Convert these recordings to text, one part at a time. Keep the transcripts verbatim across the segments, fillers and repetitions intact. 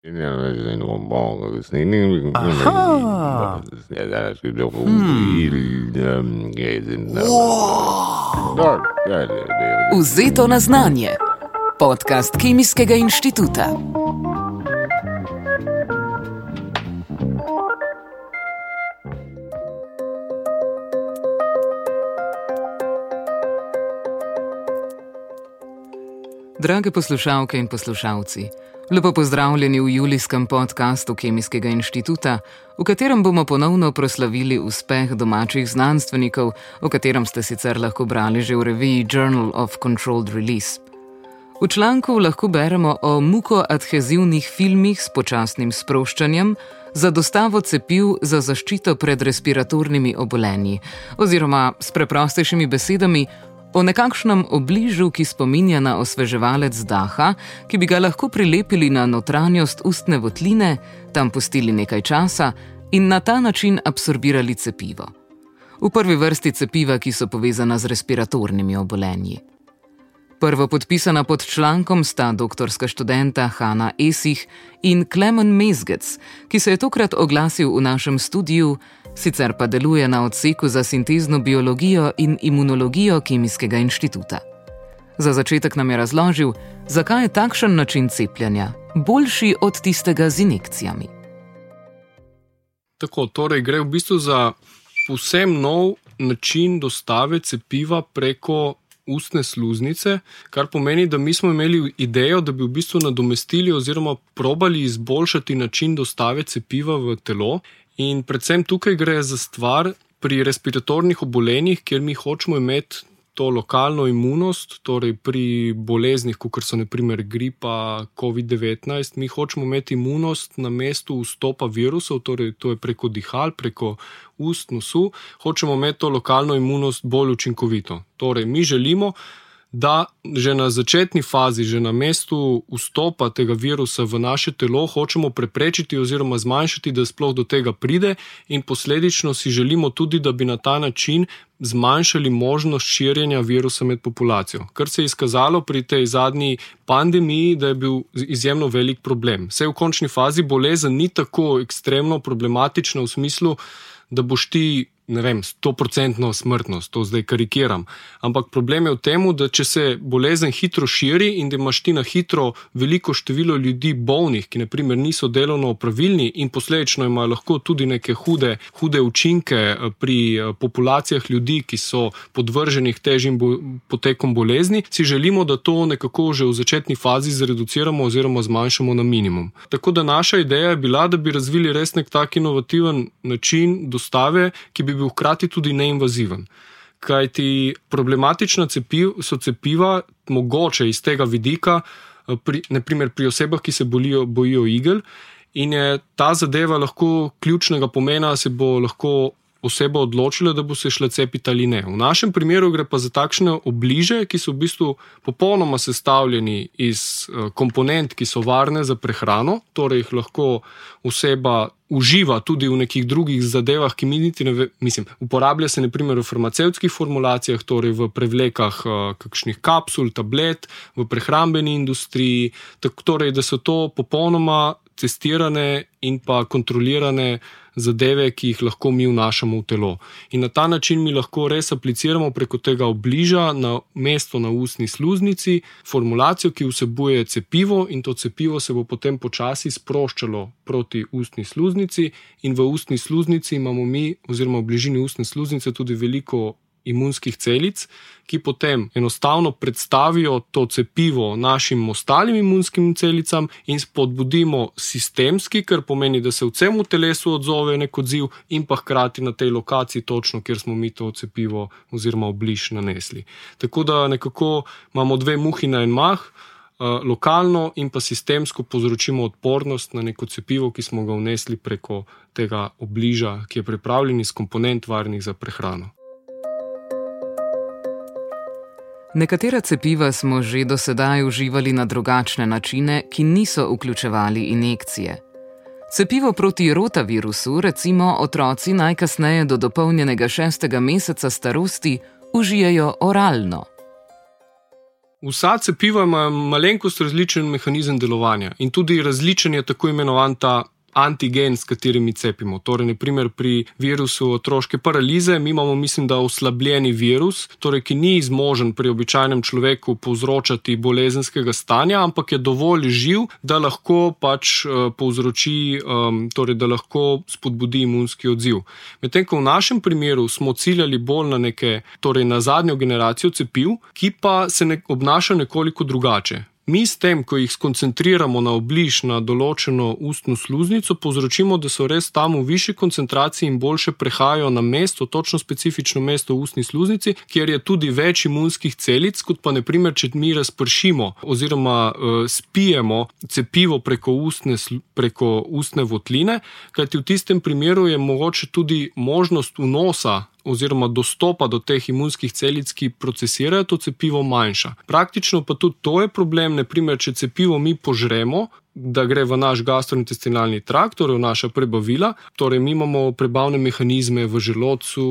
Aha. Vzeto na znanje. Podcast Kemijskega inštituta. Drage poslušalke in poslušalci, lepo pozdravljeni v julijskem podcastu Kemijskega inštituta, v katerem bomo ponovno proslavili uspeh domačih znanstvenikov, o katerem ste sicer lahko brali že v reviji Journal of Controlled Release. V članku lahko beremo o mukoadhezivnih filmih s počasnim sproščanjem za dostavo cepiv za zaščito pred respiratornimi obolenji, oziroma s preprostejšimi besedami o nekakšnem obližu, ki spominja na osveževalec daha, ki bi ga lahko prilepili na notranjost ustne votline, tam pustili nekaj časa in na ta način absorbirali cepivo. V prvi vrsti cepiva, ki so povezana z respiratornimi obolenji. Prvo podpisana pod člankom sta doktorska študenta Hanna Esih in Klemen Mezgec, ki se je tokrat oglasil v našem studiu, sicer pa deluje na odseku za sintezno biologijo in imunologijo Kemijskega inštituta. Za začetek nam je razložil, zakaj je takšen način cepljenja boljši od tistega z injekcijami. Tako, torej gre v bistvu za povsem nov način dostave cepiva preko ustne sluznice, kar pomeni, da mi smo imeli idejo, da bi v bistvu nadomestili oziroma probali izboljšati način dostave cepiva v telo. In predvsem tukaj gre za stvar pri respiratornih obolenjih, kjer mi hočemo imeti to lokalno imunost, torej pri boleznih, kot so na primer gripa, covid devetnajst, mi hočemo imeti imunost na mestu vstopa virusov, torej to je preko dihal, preko ust, nosu, hočemo imeti to lokalno imunost bolj učinkovito. Torej, mi želimo, da že na začetni fazi, že na mestu vstopa tega virusa v naše telo hočemo preprečiti oziroma zmanjšati, da sploh do tega pride, in posledično si želimo tudi, da bi na ta način zmanjšali možnost širjenja virusa med populacijo. Kar se je izkazalo pri tej zadnji pandemiji, da je bil izjemno velik problem. Vse v končni fazi bolezen ni tako ekstremno problematična v smislu, da boš ti, ne vem, sto procentno smrtnost, to zdaj karikiram. Ampak problem je v tem, da če se bolezen hitro širi in da imaš ti na hitro veliko število ljudi bolnih, ki na primer niso delovno opravilni in posledično imajo lahko tudi neke hude, hude učinke pri populacijah ljudi, ki so podvrženih težjim bo, potekom bolezni, si želimo, da to nekako že v začetni fazi zreduciramo oziroma zmanjšamo na minimum. Tako da naša ideja je bila, da bi razvili res nek tak inovativen način dostave, ki bi bil hkrati tudi neinvaziven. Kajti problematična cepiv, so cepiva mogoče iz tega vidika, pri, na primer pri osebah, ki se bolijo, bojijo igel, in je ta zadeva lahko ključnega pomena, se bo lahko oseba odločila, da bo se šla cepiti ali ne. V našem primeru gre pa za takšne obliže, ki so v bistvu popolnoma sestavljeni iz komponent, ki so varne za prehrano, torej jih lahko oseba uživa tudi v nekih drugih zadevah, ki mi niti ne ve, mislim, uporablja se na primer v farmacevtskih formulacijah, torej v prevlekah kakšnih kapsul, tablet, v prehrambeni industriji, tako torej, da so to popolnoma testirane in pa kontrolirane zadeve, ki jih lahko mi vnašamo v telo. In na ta način mi lahko res apliciramo preko tega obliža na mesto na ustni sluznici formulacijo, ki vsebuje cepivo, in to cepivo se bo potem počasi sproščalo proti ustni sluznici, in v ustni sluznici imamo mi oziroma v bližini ustne sluznice tudi veliko imunskih celic, ki potem enostavno predstavijo to cepivo našim ostalim imunskim celicam in spodbudimo sistemski, kar pomeni, da se v celem telesu odzove nek odziv in pa hkrati na tej lokaciji točno, kjer smo mi to cepivo oziroma obliž nanesli. Tako da nekako imamo dve muhi na en mah, lokalno in pa sistemsko povzročimo odpornost na neko cepivo, ki smo ga vnesli preko tega obliža, ki je pripravljen iz komponent varnih za prehrano. Nekatera cepiva smo že do sedaj uživali na drugačne načine, ki niso vključevali injekcije. Cepivo proti rotavirusu recimo otroci najkasneje do dopolnjenega šestega meseca starosti užijejo oralno. Vsa cepiva ima malenkost različen mehanizem delovanja in tudi različen je tako imenovan ta antigen, s katerimi cepimo. Torej, naprimer pri virusu otroške paralize mi imamo, mislim, da oslabljeni virus, torej, ki ni zmožen pri običajnem človeku povzročati bolezenskega stanja, ampak je dovolj živ, da lahko pač uh, povzroči, um, torej, da lahko spodbudi imunski odziv. Medtem ko v našem primeru smo ciljali bolj na neke, torej na zadnjo generacijo cepiv, ki pa se ne, obnaša nekoliko drugače. Mi s tem, ko jih skoncentriramo na obliž na določeno ustno sluznico, povzročimo, da so res tam v višji koncentraciji in boljše prehajajo na mesto, točno specifično mesto v ustni sluznici, kjer je tudi več imunskih celic, kot pa naprimer, če mi razpršimo oziroma uh, spijemo cepivo preko ustne, preko ustne votline, kajti v tistem primeru je mogoče tudi možnost vnosa oziroma dostopa do teh imunskih celic, ki procesirajo to cepivo, manjša. Praktično pa tudi to je problem, naprimer, če cepivo mi požremo, da gre v naš gastrointestinalni trakt, torej v naša prebavila, torej mi imamo prebavne mehanizme v želodcu,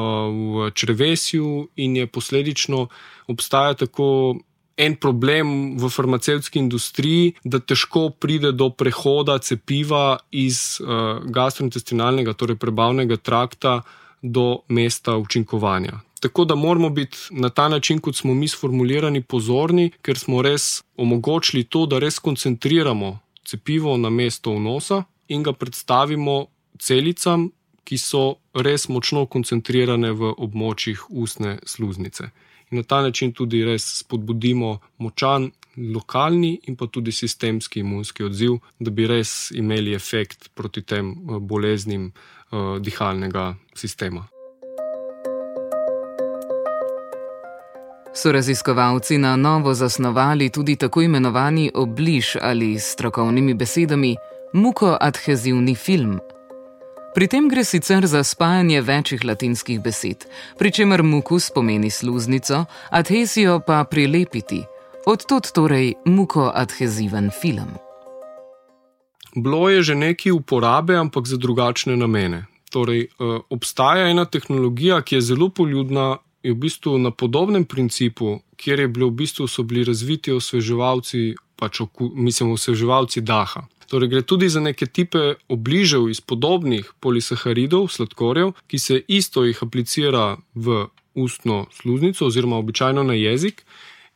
v črevesju in je posledično obstaja tako en problem v farmacevtski industriji, da težko pride do prehoda cepiva iz gastrointestinalnega, torej prebavnega trakta do mesta učinkovanja. Tako da moramo biti na ta način, kot smo mi sformulirani, pozorni, ker smo res omogočili to, da res koncentriramo cepivo na mesto vnosa in ga predstavimo celicam, ki so res močno koncentrirane v območjih ustne sluznice. In na ta način tudi res spodbudimo močan lokalni in pa tudi sistemski imunski odziv, da bi res imeli efekt proti tem boleznim uh, dihalnega sistema. So raziskovalci na novo zasnovali tudi tako imenovani obliž ali s strokovnimi besedami mukoadhezivni film. Pri tem gre sicer za spajanje večjih latinskih besed, pri čemer mukus pomeni sluznico, adhezijo pa prilepiti. Odtod torej mukoadheziven film. Bilo je že nekaj uporabe, ampak za drugačne namene. Torej, obstaja ena tehnologija, ki je zelo poljudna, je v bistvu na podobnem principu, kjer je bilo v bistvu so bili razviti osveževalci, pač oku, mislim, osveževalci daha. Torej, gre tudi za neke tipe obližev iz podobnih polisaharidov, sladkorjev, ki se isto jih aplicira v ustno sluznico oziroma običajno na jezik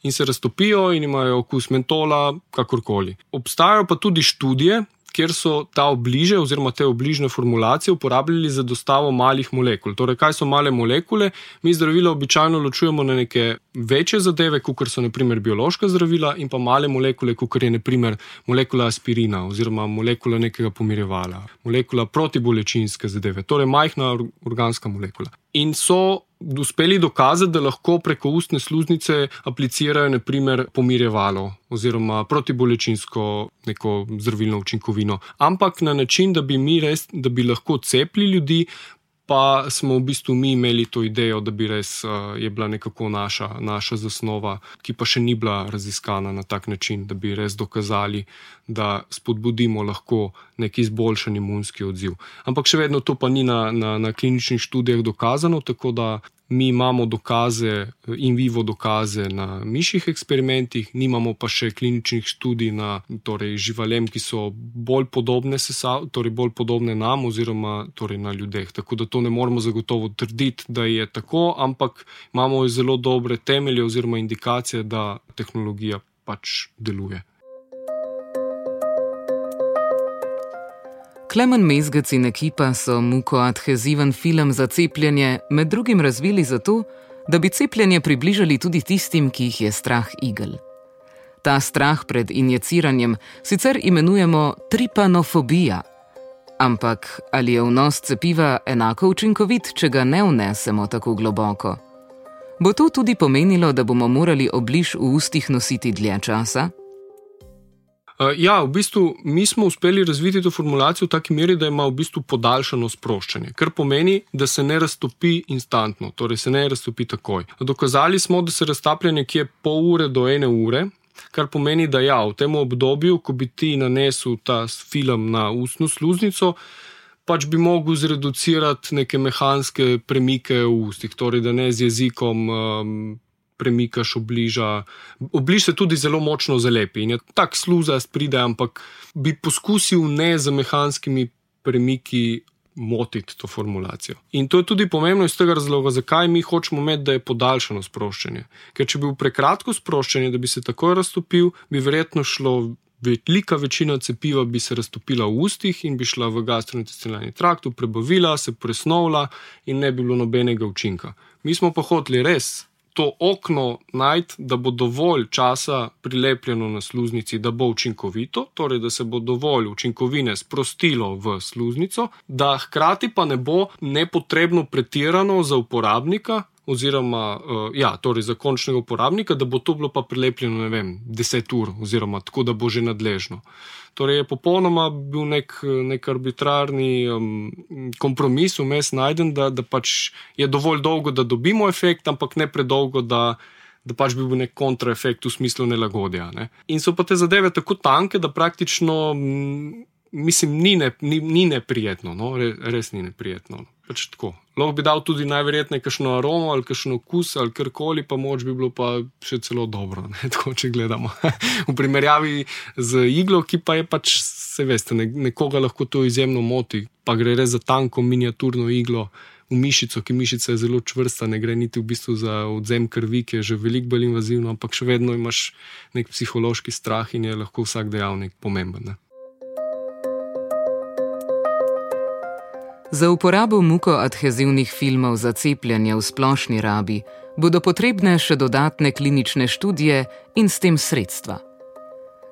in se raztopijo in imajo okus mentola, kakorkoli. Obstajajo pa tudi študije, kjer so ta obliže oziroma te obližne formulacije uporabljali za dostavo malih molekul. Torej, kaj so male molekule? Mi zdravila običajno ločujemo na neke večje zadeve, kakor so naprimer biološka zdravila, in pa male molekule, kakor je naprimer molekula aspirina oziroma molekula nekega pomirjevala, molekula protibolečinske zadeve, torej majhna organska molekula. In so uspeli dokazati, da lahko preko ustne sluznice aplicirajo naprimer pomirjevalo oziroma protibolečinsko neko zdravilno učinkovino. Ampak na način, da bi mi res, da bi lahko cepili ljudi, pa smo v bistvu mi imeli to idejo, da bi res uh, je bila nekako naša, naša zasnova, ki pa še ni bila raziskana na tak način, da bi res dokazali, da spodbudimo lahko nek izboljšan imunski odziv. Ampak še vedno to pa ni na, na, na kliničnih študijah dokazano, tako da mi imamo dokaze, in vivo dokaze na mišjih eksperimentih, nimamo pa še kliničnih študij na torej, živalem, ki so bolj podobne, sesav, torej bolj podobne nam oziroma torej na ljudeh. Tako da to ne moremo zagotovo trditi, da je tako, ampak imamo zelo dobre temelje oziroma indikacije, da tehnologija pač deluje. Klemen Mezgec in ekipa so mukoadheziven film za cepljenje med drugim razvili zato, da bi cepljenje približali tudi tistim, ki jih je strah igel. Ta strah pred injiciranjem sicer imenujemo tripanofobija. Ampak ali je vnos cepiva enako učinkovit, če ga ne vnesemo tako globoko? Bo to tudi pomenilo, da bomo morali obliž v ustih nositi dlje časa? Ja, v bistvu mi smo uspeli razviti to formulacijo v taki meri, da ima v bistvu podaljšano sproščanje, kar pomeni, da se ne raztopi instantno, torej se ne raztopi takoj. Dokazali smo, da se raztaplja nekje pol ure do ene ure, kar pomeni, da ja, v tem obdobju, ko bi ti nanesel ta film na ustno sluznico, pač bi mogel zreducirati neke mehanske premike v ustih, torej da ne z jezikom um, premikaš, obliža. Obliž se tudi zelo močno zalepi in je tak sluzast pride, ampak bi poskusil ne z mehanskimi premiki motiti to formulacijo. In to je tudi pomembno iz tega razloga, zakaj mi hočemo imeti, da je podaljšano sproščanje. Ker če bi bil prekratko sproščanje, da bi se takoj raztopil, bi verjetno šlo, velika večina cepiva bi se raztopila v ustih in bi šla v gastrointestinalni trakt, prebavila, se presnovila in ne bi bilo nobenega učinka. Mi smo pa hoteli res to okno najti, da bo dovolj časa prilepljeno na sluznici, da bo učinkovito, torej da se bo dovolj učinkovine sprostilo v sluznico, da hkrati pa ne bo nepotrebno pretirano za uporabnika, oziroma, ja, torej za končnega uporabnika, da bo to bilo pa prilepljeno, ne vem, deset ur, oziroma tako, da bo že nadležno. Torej je popolnoma bil nek, nek arbitrarni um, kompromis vmes najden, da, da pač je dovolj dolgo, da dobimo efekt, ampak ne predolgo, da, da pač bi bil nek kontraefekt v smislu nelagodja. Ne? In so pa te zadeve tako tanke, da praktično, mislim, ni, ne, ni, ni neprijetno, no? Res ni neprijetno. Pač tako. Lahko bi dal tudi najverjetneje kakšno aromo ali kakšno okus ali karkoli, pa moč bi bilo pa še celo dobro, ne? Tako, če gledamo. V primerjavi z iglo, ki pa je pač, se veste, nekoga lahko to izjemno moti, pa gre res za tanko miniaturno iglo v mišico, ki mišica je zelo čvrsta, ne gre niti v bistvu za odzem krvi, ki je že veliko bolj invazivno, ampak še vedno imaš nek psihološki strah in je lahko vsak dejavnik pomemben, ne? Za uporabo mukoadhezivnih filmov za cepljenje v splošni rabi bodo potrebne še dodatne klinične študije in s tem sredstva.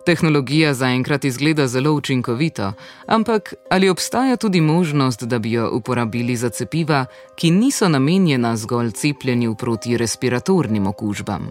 Tehnologija zaenkrat izgleda zelo učinkovito, ampak ali obstaja tudi možnost, da bi jo uporabili za cepiva, ki niso namenjena zgolj cepljenju proti respiratornim okužbam?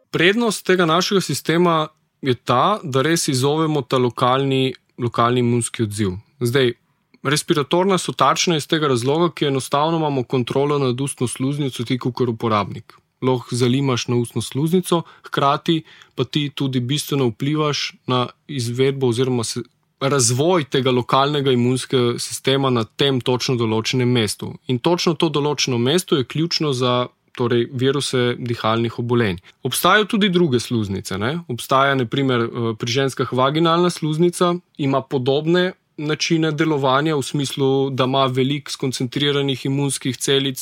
Prednost tega našega sistema je ta, da res izzovemo ta lokalni, lokalni imunski odziv. Zdaj, respiratorna so tačna iz tega razloga, ki enostavno imamo kontrolo nad ustno sluznico ti kot uporabnik. Lahko zalimaš na ustno sluznico, hkrati pa ti tudi bistveno vplivaš na izvedbo oziroma se, razvoj tega lokalnega imunskega sistema na tem točno določenem mestu. In točno to določeno mesto je ključno za torej viruse dihalnih obolenj. Obstajajo tudi druge sluznice. Ne? Obstaja na primer pri ženskah vaginalna sluznica, ima podobne načine delovanja v smislu, da ima veliko skoncentriranih imunskih celic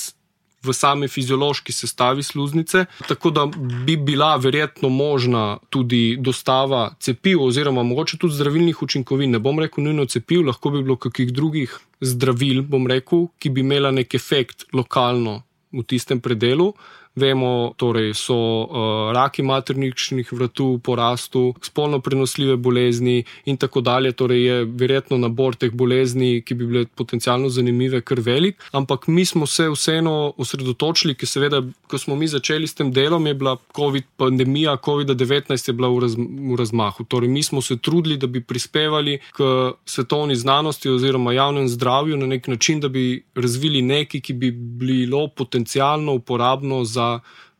v same fiziološki sestavi sluznice, tako da bi bila verjetno možna tudi dostava cepiv oziroma mogoče tudi zdravilnih učinkovin. Ne bom rekel nujno cepiv, lahko bi bilo kakih drugih zdravil, bom rekel, ki bi imela nek efekt lokalno v tistem predelu. Vemo, torej so uh, raki materničnih vratu v porastu, spolno prenosljive bolezni in tako dalje, torej je verjetno nabor teh bolezni, ki bi bile potencialno zanimive, kar velik, ampak mi smo se vseeno osredotočili, ker seveda, ko smo mi začeli s tem delom, je bila COVID pandemija, COVID devetnajst je bila v, raz, v razmahu, torej mi smo se trudili, da bi prispevali k svetovni znanosti oziroma javnem zdravju na nek način, da bi razvili nekaj, ki bi bilo potencialno uporabno za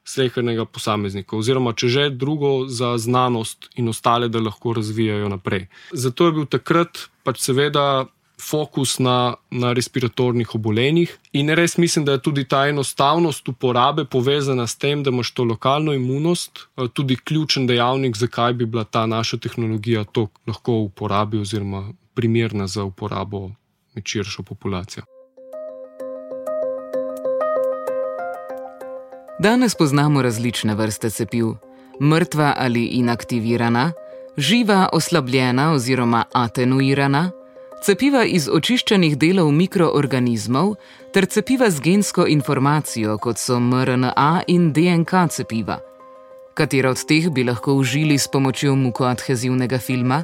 slehernega posameznika, oziroma če že drugo za znanost in ostale, da lahko razvijajo naprej. Zato je bil takrat pač seveda fokus na, na respiratornih obolenjih in res mislim, da je tudi ta enostavnost uporabe povezana s tem, da imaš to lokalno imunost, tudi ključen dejavnik, zakaj bi bila ta naša tehnologija to lahko uporabi oziroma primerna za uporabo med širšo populacijo. Danes poznamo različne vrste cepiv. Mrtva ali inaktivirana, živa oslabljena oziroma atenuirana, cepiva iz očiščenih delov mikroorganizmov ter cepiva z gensko informacijo, kot so em er en a in de en ka cepiva. Katera od teh bi lahko užili s pomočjo mukoadhezivnega filma?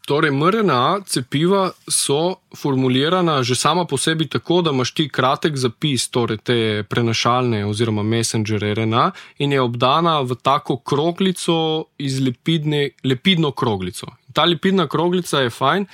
Torej, em er en a cepiva so formulirana že sama po sebi tako, da imaš ti kratek zapis, torej te prenašalne oziroma messenger er en a in je obdana v tako kroglico iz lepidne, lepidno kroglico. Ta lepidna kroglica je fajn,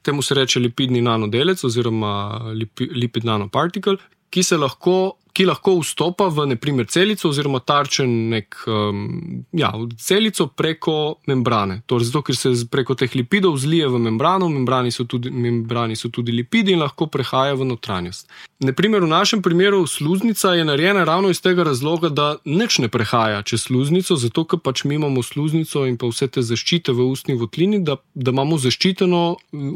temu se reče lepidni nanodelec oziroma lipid nanoparticle, ki se lahko ki lahko vstopa v naprimer celico oziroma tarčen nek, um, ja, celico preko membrane. Torej, zato, ker se preko teh lipidov zlije v membrano, membrani so tudi, membrani so tudi lipidi in lahko prehaja v notranjost. Naprimer, v našem primeru sluznica je narejena ravno iz tega razloga, da nič ne prehaja čez sluznico, zato, ker pač mi imamo sluznico in pa vse te zaščite v ustni votlini, da, da imamo zaščiteno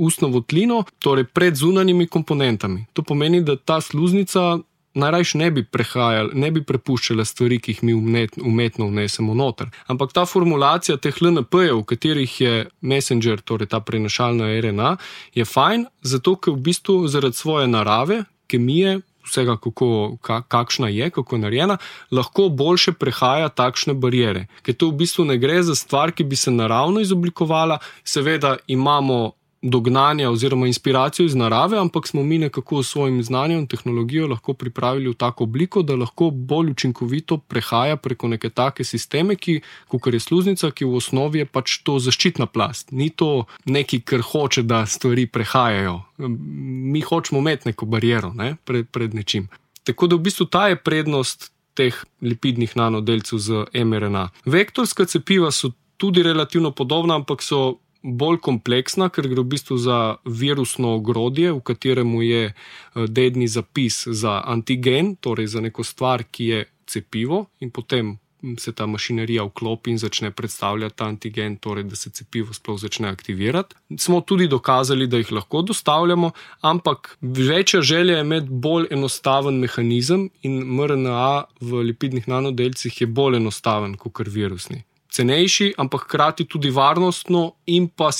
ustno votlino, torej pred zunanjimi komponentami. To pomeni, da ta sluznica najrajš ne bi prehajala, ne bi prepuščala stvari, ki jih mi umetno vnesemo noter. Ampak ta formulacija teh L N P-jev, v katerih je messenger, torej ta prenašalna R N A, je fajn, zato ker v bistvu zaradi svoje narave, kemije, vsega, kako, kakšna je, kako je narejena, lahko boljše prehaja takšne bariere. Ker to v bistvu ne gre za stvar, ki bi se naravno izoblikovala, seveda imamo dognanja oziroma inspiracijo iz narave, ampak smo mi nekako s svojim znanjem in tehnologijo lahko pripravili v tako obliko, da lahko bolj učinkovito prehaja preko neke take sisteme, ki, kakor je sluznica, ki v osnovi je pač to zaščitna plast. Ni to neki, kar hoče, da stvari prehajajo. Mi hočemo imeti neko bariero, ne, pred, pred nečim. Tako da v bistvu ta je prednost teh lipidnih nanodelcev z mRNA. Vektorska cepiva so tudi relativno podobna, ampak so bolj kompleksna, ker gre v bistvu za virusno ogrodje, v kateremu je dedni zapis za antigen, torej za neko stvar, ki je cepivo, in potem se ta mašinerija vklopi in začne predstavljati ta antigen, torej da se cepivo sploh začne aktivirati. Smo tudi dokazali, da jih lahko dostavljamo, ampak večja želja je imeti bolj enostaven mehanizem in mRNA v lipidnih nanodelcih je bolj enostaven kot virusni. Cenejši, ampak hkrati tudi varnostno in pa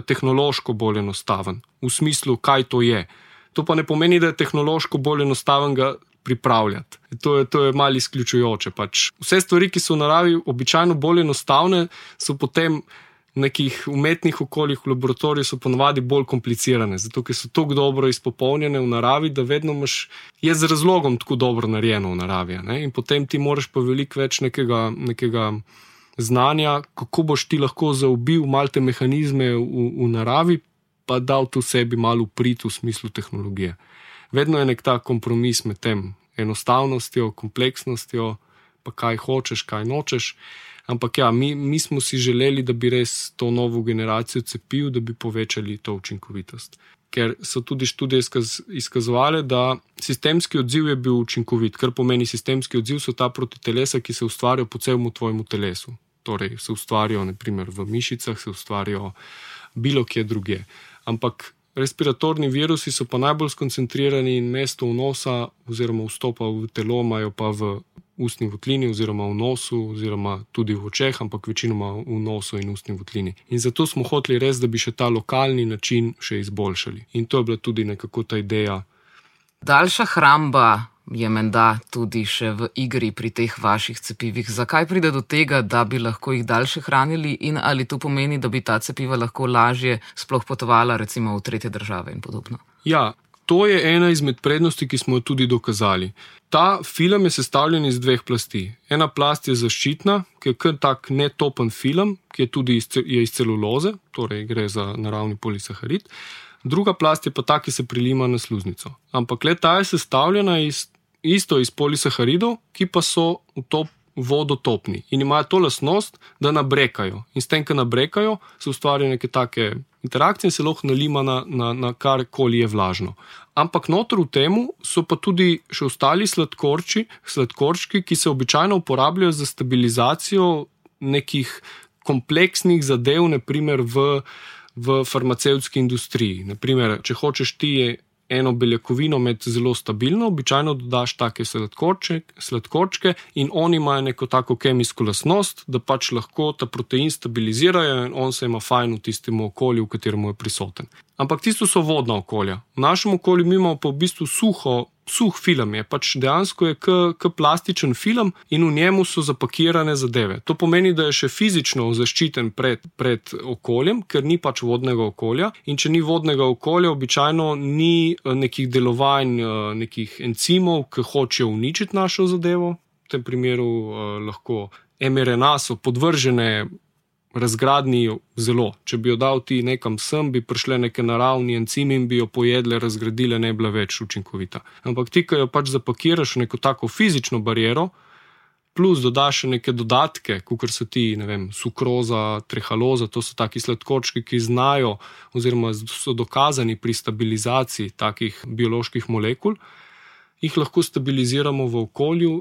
tehnološko bolj enostaven. V smislu, kaj to je. To pa ne pomeni, da je tehnološko bolj enostaven ga pripravljati. To je, to je malo izključujoče. Pač vse stvari, ki so v naravi običajno bolj enostavne, so potem v nekih umetnih okoljih v laboratoriju so ponavadi bolj komplicirane, zato ker so tako dobro izpopolnjene v naravi, da vedno imaš, je z razlogom tako dobro narejeno v naravi. Ne? In potem ti moraš pa veliko več nekega, nekega znanja, kako boš ti lahko zaobil malo te mehanizme v, v naravi, pa dal to sebi malo uprit v smislu tehnologije. Vedno je nek ta kompromis med tem enostavnostjo, kompleksnostjo, pa kaj hočeš, kaj nočeš. Ampak ja, mi, mi smo si želeli, da bi res to novo generacijo cepiv, da bi povečali to učinkovitost. Ker so tudi študije izkaz, izkazovale, da sistemski odziv je bil učinkovit. Kar pomeni sistemski odziv, so ta protitelesa, ki se ustvarjajo po celemu tvojemu telesu. Torej se ustvarjajo naprimer v mišicah, se ustvarjajo bilo kje drugje. Ampak respiratorni virusi so pa najbolj skoncentrirani in mesto vnosa oziroma vstopa v telo imajo pa v ustni votlini oziroma v nosu oziroma tudi v očeh, ampak večinoma v nosu in ustni votlini. In zato smo hoteli res, da bi še ta lokalni način še izboljšali. In to je bila tudi nekako ta ideja. Daljša hramba je menda tudi še v igri pri teh vaših cepivih. Zakaj pride do tega, da bi lahko jih daljše hranili in ali to pomeni, da bi ta cepiva lahko lažje sploh potovala recimo v tretje države in podobno? Ja, to je ena izmed prednosti, ki smo jo tudi dokazali. Ta film je sestavljen iz dveh plasti. Ena plast je zaščitna, ki je kar tak netopen film, ki je tudi iz, je iz celuloze, torej gre za naravni polisaharid. Druga plast je pa ta, ki se prilima na sluznico. Ampak le ta je sestavljena iz, isto iz polisaharidov, ki pa so v to vodotopni in imajo to lastnost, da nabrekajo. In s tem, ko nabrekajo, se ustvarjajo neke take interakcije in se lahko nalima na, na, na karkoli je vlažno. Ampak noter v temu so pa tudi še ostali sladkorči, sladkorčki, ki se običajno uporabljajo za stabilizacijo nekih kompleksnih zadev, naprimer v v farmacevtski industriji. Naprimer, če hočeš ti eno beljakovino imeti zelo stabilno, običajno dodaš take sladkorčke, sladkorčke in oni imajo neko tako kemijsko lastnost, da pač lahko ta protein stabilizirajo in on se ima fajn v tistem okolju, v katerem je prisoten. Ampak tisto so vodna okolja. V našem okolju mi imamo pa v bistvu suho, suh film je, pač dejansko je k plastičen film in v njemu so zapakirane zadeve. To pomeni, da je še fizično zaščiten pred, pred okoljem, ker ni pač vodnega okolja in če ni vodnega okolja, običajno ni nekih delovanj, nekih encimov, ki hočejo uničiti našo zadevo. V tem primeru eh, lahko mRNA so podvržene razgradni zelo. Če bi jo dal ti nekam sem, bi prišle neke naravni encimi in bi jo pojedle, razgradile, ne bila več učinkovita. Ampak ti, ko jo pač zapakiraš v neko tako fizično bariero, plus dodaš še neke dodatke, kakor so ti, ne vem, sukroza, trehaloza, to so taki sladkorčki, ki znajo oziroma so dokazani pri stabilizaciji takih bioloških molekul, jih lahko stabiliziramo v okolju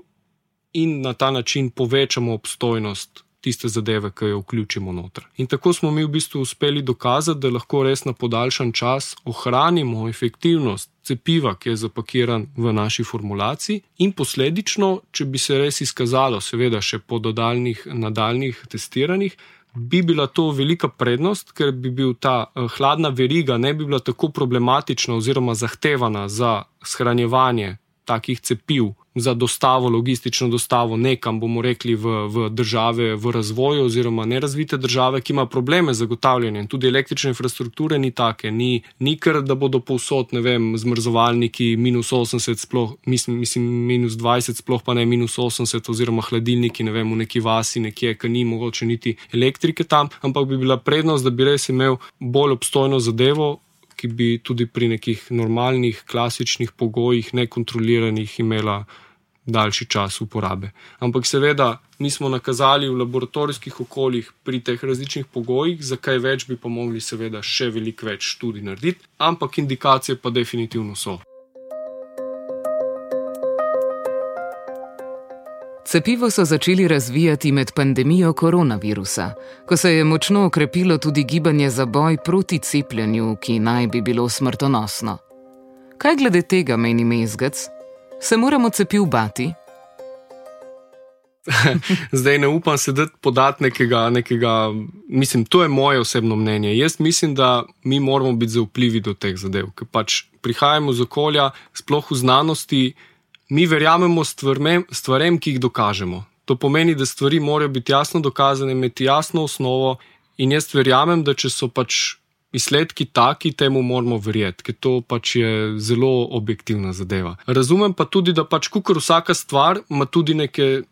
in na ta način povečamo obstojnost tiste zadeve, ki jo vključimo noter. In tako smo mi v bistvu uspeli dokazati, da lahko res na podaljšan čas ohranimo efektivnost cepiva, ki je zapakiran v naši formulaciji in posledično, če bi se res izkazalo, seveda še po dodaljnih, nadaljnih testiranjih, bi bila to velika prednost, ker bi bil ta hladna veriga, ne bi bila tako problematična oziroma zahtevana za shranjevanje takih cepiv, za dostavo, logistično dostavo nekam, bomo rekli, v, v države v razvoju oziroma nerazvite države, ki ima probleme z zagotavljanjem. Tudi električne infrastrukture ni take, ni, ni kar, da bodo povsod, ne vem, zmrzovalniki minus osemdeset, sploh, mislim, mislim minus dvajset, sploh pa ne minus osemdeset, oziroma hladilniki, ne vem, v neki vasi nekje, ki ni mogoče niti elektrike tam, ampak bi bila prednost, da bi res imel bolj obstojno zadevo, ki bi tudi pri nekih normalnih, klasičnih pogojih, nekontroliranih imela daljši čas uporabe. Ampak seveda mi smo nakazali v laboratorijskih okoljih pri teh različnih pogojih, za kaj več bi pa mogli seveda še veliko več študij narediti, ampak indikacije pa definitivno so. Cepivo so začeli razvijati med pandemijo koronavirusa, ko se je močno okrepilo tudi gibanje za boj proti cepljenju, ki naj bi bilo smrtonosno. Kaj glede tega meni Mezgec? Se moramo cepiv bati? Zdaj ne upam se dati podati nekega, nekega, mislim, to je moje osebno mnenje. Jaz mislim, da mi moramo biti zaupljivi do teh zadev, ker pač prihajamo z okolja, sploh v znanosti, mi verjamemo stvarem, stvarem, ki jih dokažemo. To pomeni, da stvari morajo biti jasno dokazane, imeti jasno osnovo in jaz verjamem, da če so pač izsledki taki, temu moramo verjeti, ker to pač je zelo objektivna zadeva. Razumem pa tudi, da pač kakor vsaka stvar ima tudi neke,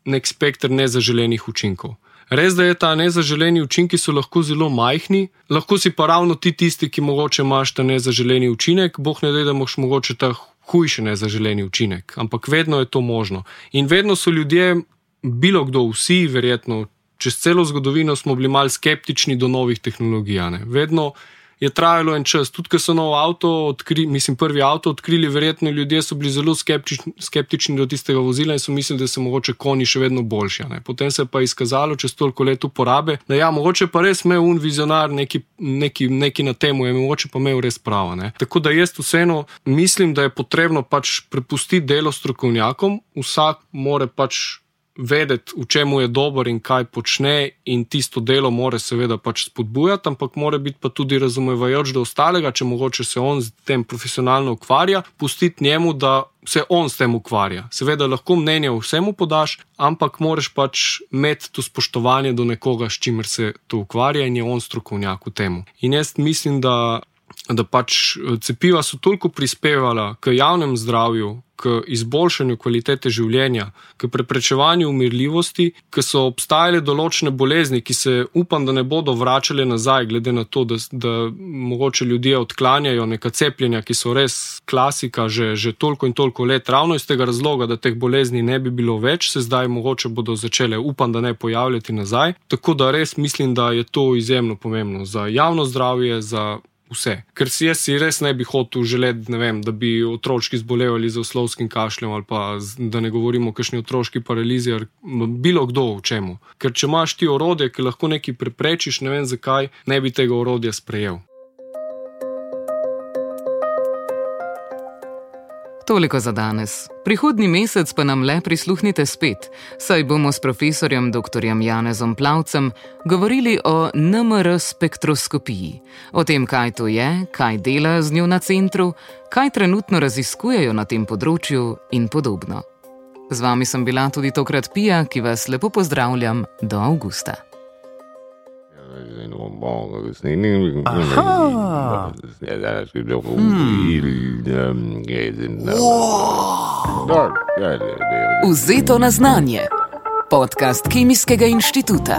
nek spektr nezaželenih učinkov. Res, da je ta nezaželeni učinki so lahko zelo majhni, lahko si pa ravno ti tisti, ki mogoče imaš ta nezaželeni učinek, boh ne dej, da moš mogoče ta hujši nezaželeni učinek, ampak vedno je to možno. In vedno so ljudje, bilo kdo, vsi verjetno, čez celo zgodovino smo bili malo skeptični do novih tehnologij. Ne? Vedno je trajalo en čas, tudi ko so nov avto odkrili, mislim, prvi avto odkrili, verjetno ljudje so bili zelo skeptični, skeptični do tistega vozila in so mislili, da so mogoče konji še vedno boljši. Ne? Potem se je pa izkazalo čez toliko let uporabe, da ja, mogoče pa res imel un vizionar neki, neki, neki na temu, je mogoče pa imel res pravo. Ne? Tako da jaz vseeno mislim, da je potrebno pač prepustiti delo strokovnjakom, vsak more pač vedeti, v čemu je dober in kaj počne in tisto delo mora seveda pač spodbujati, ampak mora biti pa tudi razumevajoč do ostalega, če mogoče se on s tem profesionalno ukvarja, pustiti njemu, da se on s tem ukvarja. Seveda lahko mnenje vsemu podaš, ampak moraš pač imeti to spoštovanje do nekoga, s čimer se to ukvarja in je on strokovnjak v temu. In jaz mislim, da da pač cepiva so toliko prispevala k javnem zdravju, k izboljšanju kvalitete življenja, k preprečevanju umirljivosti, k so obstajale določene bolezni, ki se upam, da ne bodo vračale nazaj, glede na to, da, da mogoče ljudje odklanjajo neka cepljenja, ki so res klasika že, že toliko in toliko let. Ravno iz tega razloga, da teh bolezni ne bi bilo več, se zdaj mogoče bodo začele, upam, da ne pojavljati nazaj. Tako da res mislim, da je to izjemno pomembno za javno zdravje, za vse. Ker si jaz si res ne bi hotel želeti, ne vem, da bi otročki zbolevali z oslovskim kašljem ali pa da ne govorimo o kakšni otroški paralizi ali bilo kdo v čemu. Ker če imaš ti orodje, ki lahko nekaj preprečiš, ne vem zakaj, ne bi tega orodja sprejel. Toliko za danes. Prihodnji mesec pa nam le prisluhnite spet, saj bomo s profesorjem doktorjem Janezom Plavcem govorili o en em er spektroskopiji, o tem, kaj to je, kaj dela z njo na centru, kaj trenutno raziskujejo na tem področju in podobno. Z vami sem bila tudi tokrat Pija, ki vas lepo pozdravljam do avgusta. Aha. Vzeto na znanje. Podcast Kemijskega inštituta.